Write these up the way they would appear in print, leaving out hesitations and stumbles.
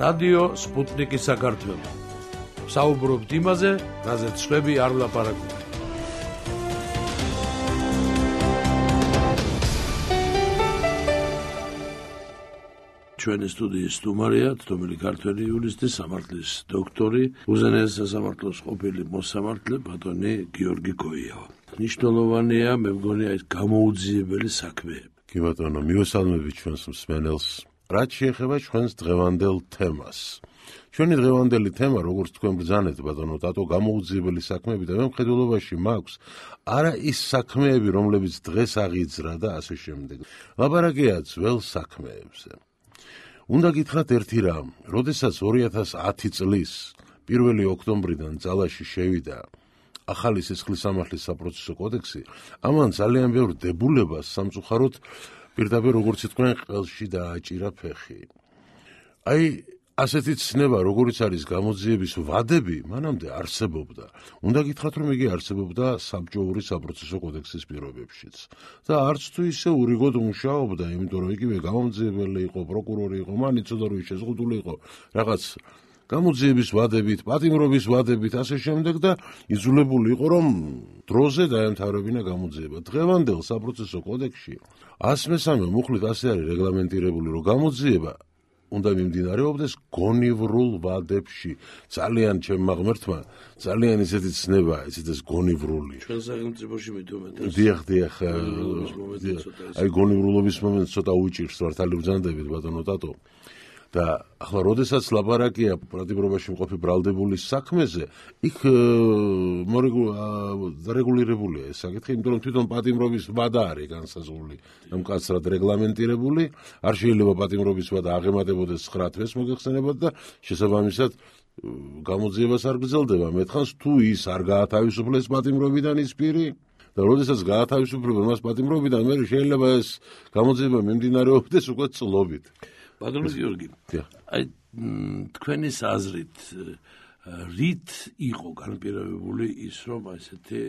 რადიო სპუტნიკი საქართველო. საუბრობთ იმაზე, რაზეც შვები არ ვლაპარაკობთ. ჩვენი სტუდიის სტუმარია თომელი ქართველი იურისტი, სამართლის დოქტორი, უზენაეს სასამართლოს ყოფილი მოსამართლე ბატონი გიორგი გოიავა. მნიშვნელოვანია, მე მგონია ეს გამოუძიებელი საქმეები. კი ბატონო, მივესალმებით ჩვენს მსმენელს. რაც შეეხება ჩვენს დღევანდელ თემას. ჩვენი დღევანდელი თემა, როგორც თქვენ ბრძანეთ, ბატონო, დატო გამოუძიებელი საქმეები და მე მხედველობაში მაქვს არა ის საქმეები, რომლებიც დღეს აღიძრა და ასე შემდეგ. ლაპარაკია ძველ საქმეებზე. უნდა გითხრათ ერთი რამ, როდესაც 2010 წლის 1 ოქტომბრიდან ძალაში შევიდა ახალი სისხლის სამართლის საპროცესო კოდექსი, ამან ძალიან ბევრ დებულებას სამწუხაროდ პირდაპირ როგორც თქვენ ყელში დააჭირა ფეხი. აი ასეთი ცნება, როგორიც არის გამოძიების ვადები, მანამდე არსებობდა. უნდა გითხრათ, რომ იგი არსებობდა საბჭოური საპროცესო კოდექსის პირობებშიც. და არც თუ ისე ურიგოდ მუშაობდა, იმიტომ რომ იგივე გამოძიებელი იყო, პროკურორი იყო, მან იცოდა რომ შეზღუდული იყო რაღაც გამოძიების ვადებით, პატიმრობის ვადებით, ასე შემდეგ და იძულებული იყო, რომ დროზე დაემთავრებინა გამოძიება. დღევანდელ საპროცესო კოდექსში 103 მუხლით ასე არის რეგლამენტირებული, რომ გამოძიება უნდა მიმდინარეობდეს გონივრულ ვადებში. ძალიან ჩემმა ღმერთმა, ძალიან ისეთი ცნება, ისეთ ეს გონივრული. ჩვენ სახელმწიფოში მithumetas. დიახ. აი გონივრულობის მომენტს ცოტა უჭირს მართალი ბრძანდებით ბატონო დატო. და ახლა როდესაც ლაპარაკია პატიმრობაში მყოფი ბრალდებულის საქმეზე, იქ დარეგულირებულია ეს საკითხი, იმიტომ რომ თვითონ პატიმრობის ვადა არის განსაზღვრული, მკაცრად რეგლამენტირებული, არ შეიძლება პატიმრობის ვადა აღემატებოდეს 9 თვეს მოგეხსენებათ და შესაბამისად გამოძიებას არ გრძელდება. მეტხანს თუ ის არ გაათავისუფლეს პატიმრობიდან ის პირი და როდესაც გაათავისუფლებენ მას პატიმრობიდან, მე შეიძლება ეს გამოძიება მიმდინარეობდეს უკვე წლობით. ბატონო გიორგი, აი თქვენის აზრით რით იყო განპირობებული ის, რომ ესეთი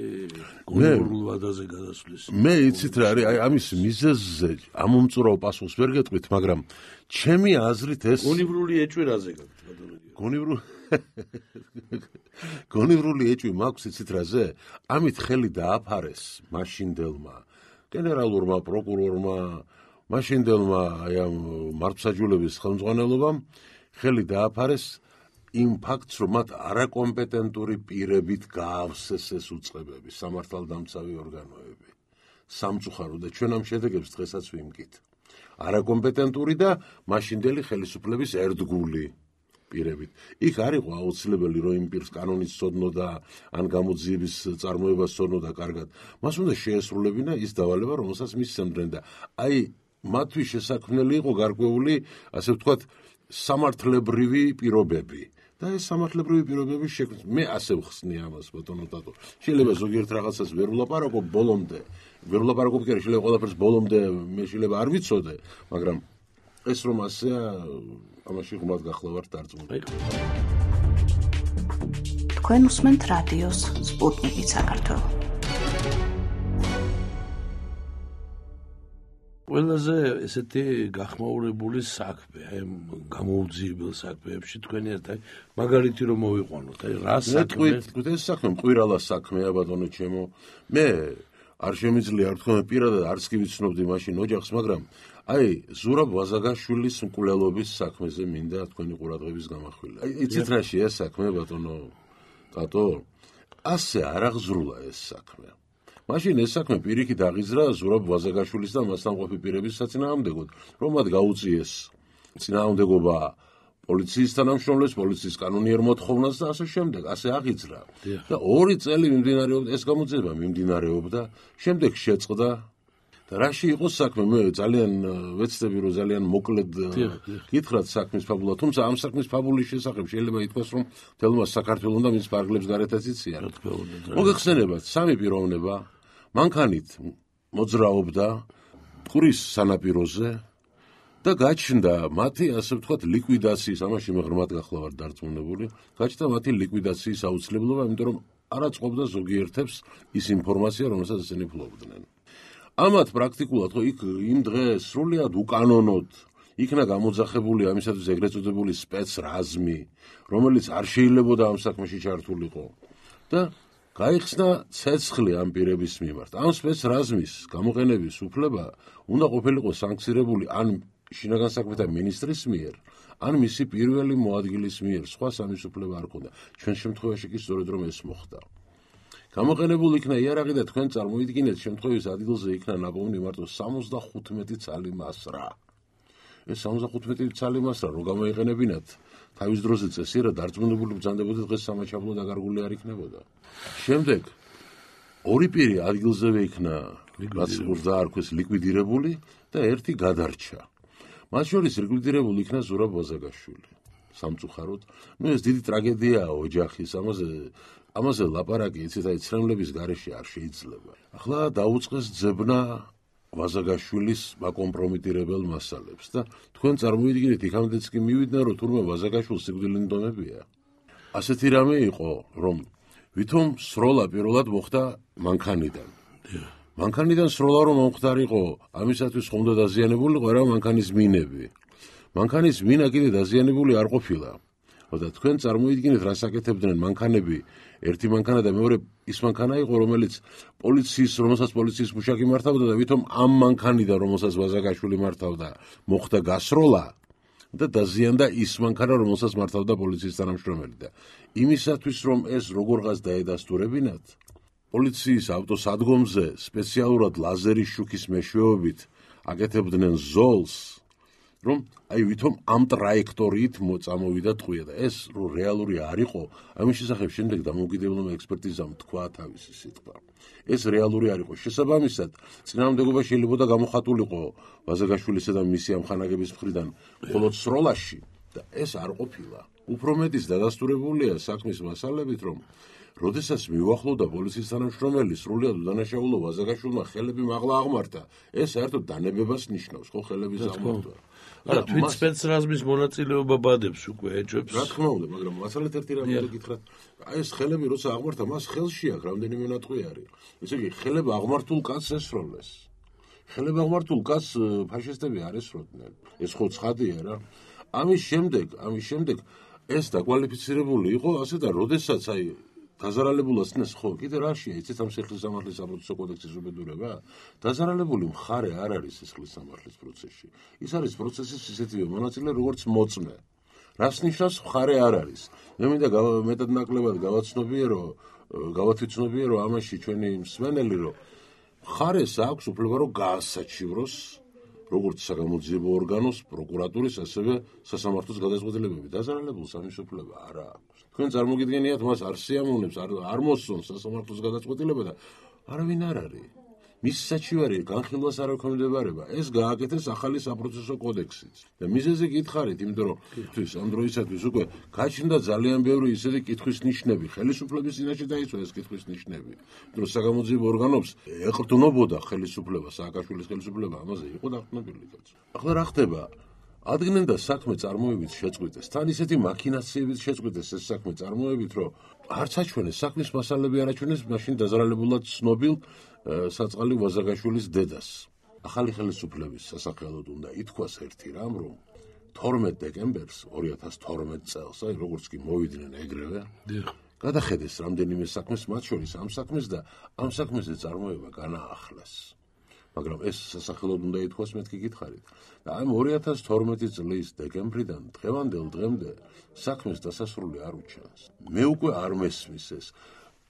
გონივრულ ვადაზე გადასვლის? მე იცით რა არის, აი ამის მიზეზზე ამომწურავ პასუხს ვერ გეტყვით, მაგრამ ჩემი აზრით ეს გონივრული ეჭვი რაზე გაქვთ, ბატონო გიორგი? გონივრული ეჭვი მაქვს იცით რაზე? ამით ხელი დააფარეს მაშინდელმა გენერალურმა პროკურორმა, მაშინდელმა აი ამ მართლმსაჯულების ხელმძღვანელობამ ხელი დააფარეს იმ ფაქტს, რომ მათ არაკომპეტენტური პირებით გაავსეს ეს უწყებები, სამართალდამცავი ორგანოები. სამწუხაროდ და ჩვენ ამ შედეგებს დღესაც ვიმგით. არაკომპეტენტური და მაშინდელი ხელისუფლების ერთგული პირებით. იქ არ იყო აუცილებელი, რომ იმ პირს კანონით სცოდნოდა, ან გამოძიების წარმოება სცოდნოდა კარგად. მას უნდა შეესრულებინა ის დავალება, რომელსაც მისცემდნენ და აი მათთვის შესაქმნელი იყო გარკვეული, ასე ვთქვათ, სამართლებრივი პირობები. და ეს სამართლებრივი პირობების შექმნა, მე ასე ვხსნი ამას, ბატონო დატო. შეიძლება ზოგიერთ რაღაცას ვერ ვლაპარაკობ ბოლომდე, ვერ ვლაპარაკობ კი არა, შეიძლება ყველაფერს ბოლომდე მე შეიძლება არ ვიცოდე, მაგრამ ეს რომ ასეა, ამაში ღმრად გახლავართ დარწმუნებული. თქვენ უსმენთ რადიოს სპუტნიკი საქართველო. ყველაზე ესეთი გახმაურებული საქმე, აი გამოუძიებელ საქმეებში თქვენი ერთ მაგალითი რომ მოვიყვანოთ, აი რა საქმე? ეს საქმე მყირალა საქმეა ბატონო ჩემო. მე არ შემიძლია არ თქვენ პირადად არც კი ვიცნობდი მაშინ ოჯახს, მაგრამ აი ზურაბ ვაზაგაშვილის მკვლელობის საქმეზე მინდა თქვენი ყურადღების გამახვილება. აი იცით რა შეა საქმე ბატონო დატო? ასე არ აღზრულა ეს საქმე. მაშინ ეს საქმე პირიქით აღიზრა ზურაბ ვაზაგაშვილის და მასთან მყოფი პირების საწინააღმდეგოდ, რომ მათ გაუწიეს წინააღმდეგობა პოლიციის თანამშრომლებს, პოლიციის კანონიერ მოთხოვნას და ასე შემდეგ, ასე აღიძრა. და 2 წელი მიმდინარეობდა ეს გამოძიება, მიმდინარეობდა, შემდეგ შეწყდა და რაში იყო საქმე? მე ძალიან ვეცდები, რომ ძალიან მოკლედ გითხრათ საქმის ფაბულა, თუმცა ამ საქმის ფაბულის შესახებ შეიძლება ითქვას, რომ თელმა საქართველოს და მის ფარგლებს გარეთაც იციან. მოგეხსენებათ, 3 პიროვნება მანქანით მოძრაობდა მტკვრის სანაპიროზე და გაჩნდა მათი, ასე ვთქვათ, ლიკვიდაციის, ამაში მე ღრმად გახლავართ დარწმუნებული, გაჩნდა მათი ლიკვიდაციის აუცილებლობა, იმიტომ რომ არ აწყობდა ზოგიერთებს ის ინფორმაცია, რომელსაც ესენი ფლობდნენ. ამათ პრაქტიკულად ხო იქ იმ დღეს სრულიად უკანონოდ იქნა გამოძახებული ამისათვის ეგრეთ წოდებული სპეცრაზმი, რომელიც არ შეიძლებოდა ამ საქმეში ჩართულიყო და გაიხსნა ცეცხლი ამ პირების მიმართ. ამ სპეცრაზმის გამოყენების უფლება უნდა ყოფილიყო სანქცირებული ან შინაგან საქმეთა მინისტრის მიერ, ან მისი პირველი მოადგილის მიერ, სხვა სამის უფლება არ ჰქონდა. ჩვენ შემთხვევაში კი სწორედ რომ ეს მოხდა. გამოყენებულ იქნა იარაღი და თქვენ წარმოიდგინეთ, შემთხვევის ადგილზე იქნა ნაპოვნი მარტო 75 ცალი მასრა. ეს 75 ცალი მასრა რო გამოიყენებინათ თავის დროზე წესი რა დარწმუნებული ბრძანდებოდა დღეს სამაჩაბლო დაკარგული არ იქნებოდა. შემდეგ ორი პირი ადგილზევე იქნა რაც უნდა არქოს ლიკვიდირებული და ერთი გადარჩა. მათ შორის ლიკვიდირებული იქნა ზურაბ ვაზაგაშვილი. სამწუხაროდ, ეს დიდი ტრაგედიაა ოჯახის, ამაზე ლაპარაკი იცით აი ცრემლების გარეშე არ შეიძლება. ახლა დაუწყეს ძებნა ვაზაგაშვილის მაკომპრომიტირებელ მასალებს და თქვენ წარმოიდგინეთ იქამდეც კი მივიდნენ რომ თურმე ვაზაგაშვილს სიკვდილით ნდომებია. ასეთი რამე იყო რომ ვითომ სროლა პირველად მოხდა მანქანიდან. მანქანიდან სროლა რომ მომხდარიყო ამისათვის ხომ უნდა დაზიანებულიყო რა მანქანის მინები. მანქანის მინა კიდე დაზიანებული არ ყოფილა. და თქვენ წარმოიდგინეთ რა საკეთებდნენ მანქანები, ერთი მანქანა და მეორე ის მანქანა იყო რომელსაც პოლიციის მუშაკი მართავდა და ვითომ ამ მანქანიდან რომელსაც ვაზაგაშვილი მართავდა მოხდა გასროლა და დაზიანდა ის მანქანა რომელსაც მართავდა პოლიციის თანამშრომელი და იმისათვის რომ ეს როგორღაც დაედასტურებინათ პოლიციის ავტოსადგომზე სპეციალურად ლაზერის შუქის მეშვეობით აკეთებდნენ ზოლს რომ აი ვითომ ამ ტრაექტორიით წამოვიდა ტყვია და ეს რო რეალური არ იყო, ამის შესახებ შემდეგ დამოუკიდებელმა ექსპერტიზამ თქვა თავისი სიტყვა. ეს რეალური არ იყო. შესაბამისად, წინააღმდეგობა შეიძლება გამოხატულიყო ვაზაგაშვილისა და მისი ამხანაგების მხრიდან მხოლოდ სროლაში და ეს არ ყოფილა. უფრო მეტის დადასტურებულია საქმის მასალებით, რომ როდესაც მიუახლოვდა პოლიციის თანამშრომელი სრულად უდანაშაულო ვაზაგაშვილმა ხელები მაღლა აღმართა, ეს საერთოდ დანებებას ნიშნავს, ხო ხელების აღმართვა. არა, თვით სპეცრაზმის მონაწილეობა ბადებს უკვე ეჭვებს. რა თქმა უნდა, მაგრამ მასალეთ ერთი რამე გითხრათ, აი ეს ხელები როცა აღმართა, მას ხელში აქვს რამდენიმე ნატყვი არის. ესე იგი, ხელები აღმართულ კაცს ესროლეს. ხელები აღმართულ კაცს ფაშისტები არ ესროდნენ. ეს ხო ცხადია რა. ამის შემდეგ ეს დაკვალიფიცირებული იყო ასე და როდესაც აი დაზარალებულას ნეს ხო კიდე რაშია იცით ამ სიხლის სამართლის საპროცესო კოდექსის უბედურება დაზარალებული მხარე არ არის სიხლის სამართლის პროცესში ის არის პროცესის ისეთივე მონაწილე როგორც მოწმე რას ნიშნავს მხარე არ არის მე მინდა მეტად ნაკლებად გავათვითცნობიერო ამაში ჩვენი მსმენელი რომ მხარეს აქვს უფლება რომ გაასაჩივროს როგორც საგამოძიებო ორგანოს პროკურატურის ასევე სასამართლოს გადაწყვეტილებები დაზარალებულს ამის უფლება არ აქვს თქვენ წარმოგიდგენიათ მას არ სიამოვნებს არ მოსწონს სასამართლოს გადაწყვეტილება და არავინ არ არის მის საჩივარი განხილვას არ ექვემდებარება ეს გააკეთეს ახალი საპროცესო კოდექსით და მიზეზი გითხარით იმიტომ რომ თვის ამ დროისათვის უკვე გაჩნდა ძალიან ბევრი ისეთი კითხვის ნიშნები ხელისუფლების წინაშე დაიწვა ეს კითხვის ნიშნები იმიტომ რომ საგამოძიებო ორგანოს ეყრდნობოდა ხელისუფლება სააკაშვილის ხელისუფლება ამაზე იყო დაყრდნობილი კაცო ახლა რა ხდება ადგენენ და საქმე წარმოებით შეწყვიტეს თან ისეთი მაქინაციებით შეწყვიტეს ეს საქმე წარმოებით რომ არც აჩვენეს საქმის მასალები არ აჩვენეს მაშინ დაზარალებულად ცნობილ საწყალი ვაზაგაშვილის დედას ახალი ხელისუფლების სასახელოდ უნდა ითქვას ერთი რამ რომ 12 დეკემბერს 2012 წელს აი როგორც კი მოვიდნენ ეგრევე გადახედეს რამდენიმე საქმეს მათ შორის ამ საქმეს და ამ საქმეზე წარმოება განაახლეს მაგრამ ეს სასახელოდ უნდა ითქვას მეთქი გითხარით და ამ 2012 წლის დეკემბრიდან დღევანდელ დღემდე საქმეს დასასრული არ უჩანს მე უკვე არ მესმის ეს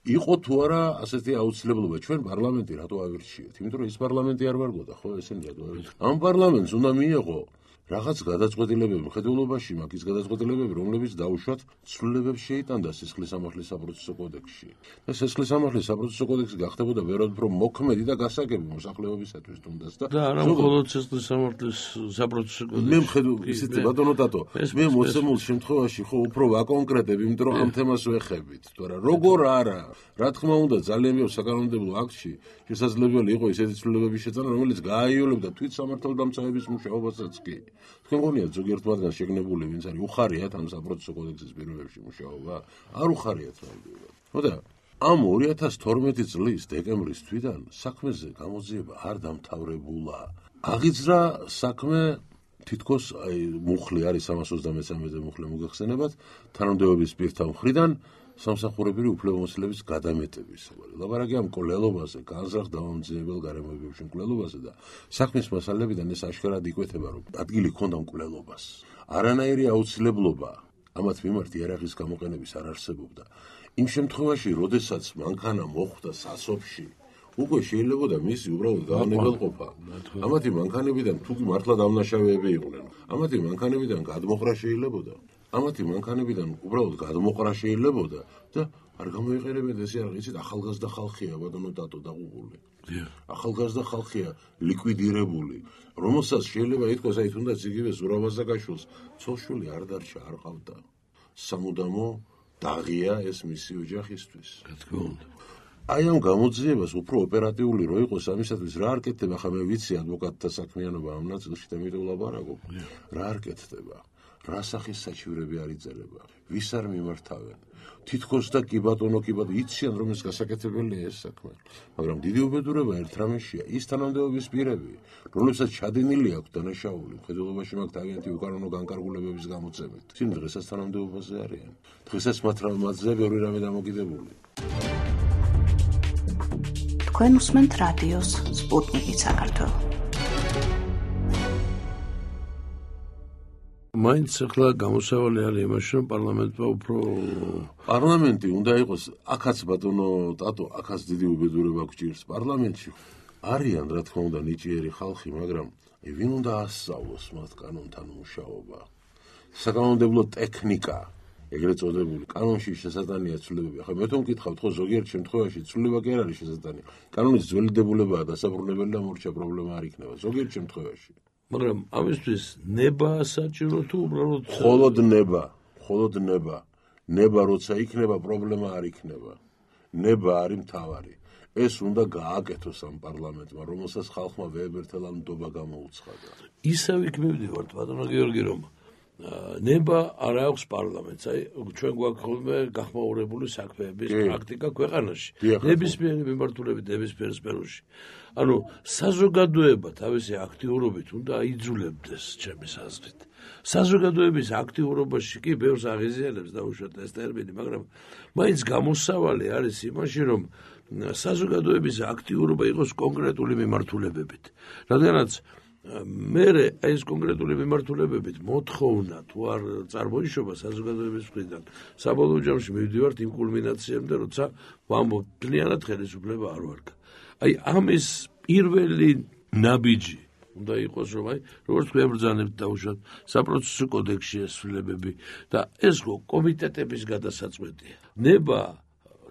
იყო თუ არა ასეთი აუცილებლობა ჩვენ პარლამენტი რატო ავირჩიეთ იმიტომ რომ ის პარლამენტი არ ვარგოდა ხო ესენი რატო ავირჩიეთ ამ პარლამენტს უნდა მიეღო რაღაც გადაწყვეტილებები მხედველობაში მაგის გადაწყვეტილებები რომლებიც დაუშვათ ცვლილებებს შეიტანდა სისხლის სამართლის საპროცესო კოდექსში და სისხლის სამართლის საპროცესო კოდექსი გახდებოდა ვეროდ უფრო მოქმედი და გასაგები მოსახლეობისათვის თუნდაც და არა მხოლოდ სისხლის სამართლის საპროცესო კოდექსი მე მხედვ ისეთი ბატონო დატო მე მოსემულ შემთხვევაში ხო უფრო ვაკონკრეტებ იმიტომ რომ ამ თემას ვეხებით თორე როგორ არა რა თქმა უნდა ძალიან ბევრ საკანონმდებლო აქტში შესაძლებელი იყო ისეთი ცვლილებების შეწყვეტა რომელიც გააიოლებდა თვით სამართალდამცავების მუშაობასაც კი თქვენ გონიათ ზოგიერთ მათგანს შეგნებული ვინც არის უხარიათ ამ საპროცესო კოდექსის პირობებში მუშაობა არ უხარიათ ნამდვილად ხო და ამ 2012 წლის დეკემბრის თვიდან საქმეზე გამოძიება არ დამთავრებულა აღიძრა საქმე თითქოს აი მუხლი არის 323-ზე მუხლი მოგეხსენებათ, თანამდებობის პირთა მხრიდან სამსახურებრივი უფლებამოსილების გადამეტების. ლაპარაკი ამ მკვლელობაზე, განზრახ დამამძიმებელ გარემოებებში მკვლელობაზე და საქმის მასალებიდან ეს აშკარად იკვეთება, რომ ადგილი ქონდა მკვლელობას. არანაირი აუცილებლობა ამათ მიმართ იარაღის გამოყენების არ არსებობდა. იმ შემთხვევაში, როდესაც მანქანა მოხვდა სასოფში, უკვე შეიძლებოდა მისი უბრალოდ გაანებელყოფა. ამათი მანქანებიდან თუ კი მართლა დამნაშავეები იყვნენ, ამათი მანქანებიდან გადმოყრა შეიძლებოდა. ამათი მანქანებიდან უბრალოდ გადმოყრა შეიძლებოდა და არ გამოიყენებენ ეს იარაღი, იცით, ახალგაზრდა ხალხია ბატონო დატო დაღუპული. ახალგაზრდა ხალხია ლიკვიდირებული, რომელსაც შეიძლება ითქვას, აი თუნდაც იგივე ზურავაზაგაშვილს ცოლშვილი არ დარჩა, არ ყავდა. სამუდამო დაღია ეს მისი ოჯახისთვის. რა თქმა უნდა. აი ამ გამოძიებას უფრო ოპერატიული რო იყოს ამისათვის რა არ კეთდება, ხა მე ვიცი ადვოკატთა საქმიანობა ამ ნაწილში და მით ვლაპარაკობ. რა არ კეთდება? რა სახის საჩივრები არ იწერება? ვის არ მიმართავენ? თითქოს და კი ბატონო იციან რომ ეს გასაკეთებელია ეს საქმე. მაგრამ დიდი უბედურება ერთ რამეშია, ის თანამდებობის პირები, რომლებსაც ჩადინილი აქვს დანაშაული, მხედველობაში მაქვს თავიანთი უკანონო განკარგულებების გამოწვევით. ისინი დღესაც თანამდებობაზე არიან. დღესაც მათზე ბევრი რამე დამოკიდებული. თქვენ უსმენთ რადიოს სპუტნიკი საქართველო. მაინც ახლა გამოსავალი არის იმაში, რომ პარლამენტმა უფრო პარლამენტი უნდა იყოს, აქაც ბატონო ტატო, აქაც დიდი უბედურება გვჭირს. პარლამენტში არიან, რა თქმა უნდა, ნიჭიერი ხალხი, მაგრამ ვინ უნდა ასწავლოს მათ კანონთან მუშაობა? საკანონმდებლო ტექნიკა, ეგრეთ წოდებული, კანონში შესატანია ცვლილებები. ახლა მე თვითონ მკითხავთ, ხო, ზოგიერთ შემთხვევაში ცვლილება კი არ არის შესატანი. კანონის ძველი დებულებაა დასაბრუნებელი და მორჩა პრობლემა არ იქნება. ზოგიერთ შემთხვევაში. მაგრამ ამისთვის ნება საჭირო თუ უბრალოდ მხოლოდ ნება როცა იქნება პრობლემა არ იქნება. ნება არის მთავარი. ეს უნდა გააკეთოს ამ პარლამენტმა, რომელსაც ხალხმა ვეებერთელა ნდობა გამოუცხადა. ისევ იქ მივდივართ, ბატონო გიორგი, რომ ნება არ აქვს პარლამენტს. აი ჩვენ გვაქვს ხოლმე გახმაურებული საქმეების პრაქტიკა ქვეყანაში. ნებისმიერი მიმართულებით ნებისმიერ სფეროში. ანუ საზოგადოება თავისი აქტიურობით უნდა აიძულებდეს ჩემის აზრით. საზოგადოების აქტიურობაში კი ბევრს აღიზიანებს დაუშვათ ეს ტერმინი, მაგრამ მაინც გამოსავალი არის იმაში, რომ საზოგადოების აქტიურობა იყოს კონკრეტული მიმართულებებით. რადგანაც მერე ეს კონკრეტული მიმართულებებით მოთხოვნა თუ არ წარმოიშობა საზოგადოების მხრიდან, საბოლოო ჯამში მივდივართ იმ კულმინაციამდე, როცა ვამბობ, მთლიანად ხელისუფლება არ ვარგა. აი ამის პირველი ნაბიჯი უნდა იყოს, რომ აი როგორც ვებრძანებთ დაუშვათ საპროცესო კოდექსში ეს ცვლილებები და ეს კომიტეტების გადასაწყვეტია. ნება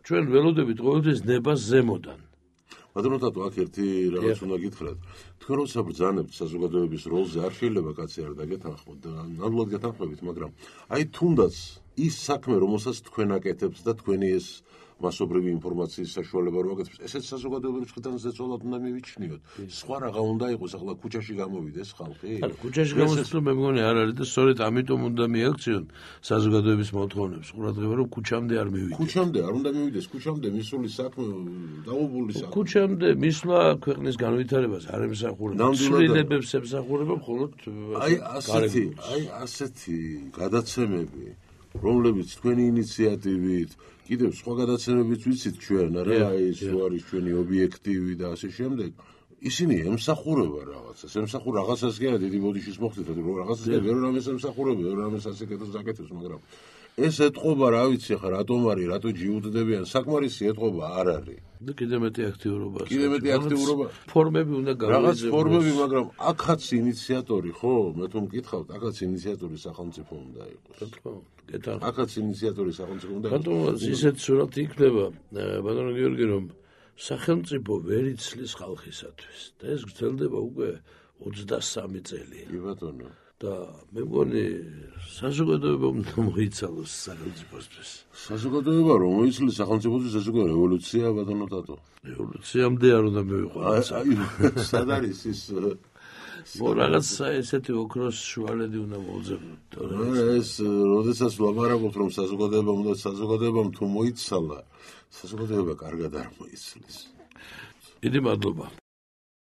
ჩვენ ველოდებით ყოველთვის ნებას ზემოდან. ბატონო ტატო, აქ ერთი რაღაც უნდა გითხრათ. თქვენ როცა ბრძანებთ საზოგადოების როლზე, არ შეიძლება კაცი არ დაგეთანხმოთ და ნამდვილად გეთანხმებით, მაგრამ აი თუნდაც ის საქმე, რომელსაც თქვენ აკეთებთ და თქვენი ეს მასობრივი ინფორმაციის საშუალება რო აკეთებს, ესეც საზოგადოების მხრიდან ზეწოლად უნდა მივიჩნიოთ. სხვა რაღა უნდა იყოს, ახლა ქუჩაში გამოვიდეს ხალხი. ანუ ქუჩაში გამოსვლა მე მგონი არ არის და სწორედ ამიტომ უნდა მიაქციონ საზოგადოების მოთხოვნებს. ყურადღება რომ ქუჩამდე არ მივიდეს. ქუჩამდე არ უნდა მივიდეს, ქუჩამდე მისული საქმე, დაუბული საქმე. ქუჩამდე მისვლა ქვეყნის განვითარებას არ ემსახურება. ცვლილებებს ემსახურება მხოლოდ ასეთი გადაცემები, რომლებიც თქვენი ინიციატივით კიდევ სხვა გადაცემებიც ვიცით ჩვენ, რა ის არის ჩვენი ობიექტივი და ასე შემდეგ. ისინი ემსახურება რაღაცას, რაღაცას კი არა დიდი ბოდიშის მოხდით, რომ რაღაცას და ვერ რამეს ემსახურება, ვერ რამეს აკეთებს, მაგრამ ეს ეთყობა, რა ვიცი, ხა რატომ არის, რატო ჯიუტდებიან, საკმარისი ეთყობა არ არის. და კიდევ მეტი აქტიურობა. ფორმები უნდა გავიძებოს. რაღაც ფორმები, მაგრამ აქაც ინიციატორი, ხო, მე თუ მკითხავთ, აქაც ინიციატორი სახელმწიფო უნდა იყოს. რა თქმა უნდა. აქაც ინიციატორი სახელმწიფო უნდა იყოს. ბატონო, ისეთ სურათი იქნება, ბატონო გიორგი, რომ სახელმწიფო ვერ იცლის ხალხისათვის და ეს გრძელდება უკვე 23 წელი. კი ბატონო. და მე მგონი საზოგადოება უნდა მოიცალოს სახელმწიფოსთვის. საზოგადოება რომ მოიცლის სახელმწიფოსთვის, ეს უკვე რევოლუცია ბატონო ტატო. რევოლუციამდე არ უნდა მივიყვანოს. სად არის ის რაღაც ესეთი ოქროს შუალედი უნდა მოუძებნოთ. ეს როდესაც ვლაპარაკობთ რომ საზოგადოებამ თუ მოიცალა, საზოგადოება კარგად არ მოიცლის. დიდი მადლობა.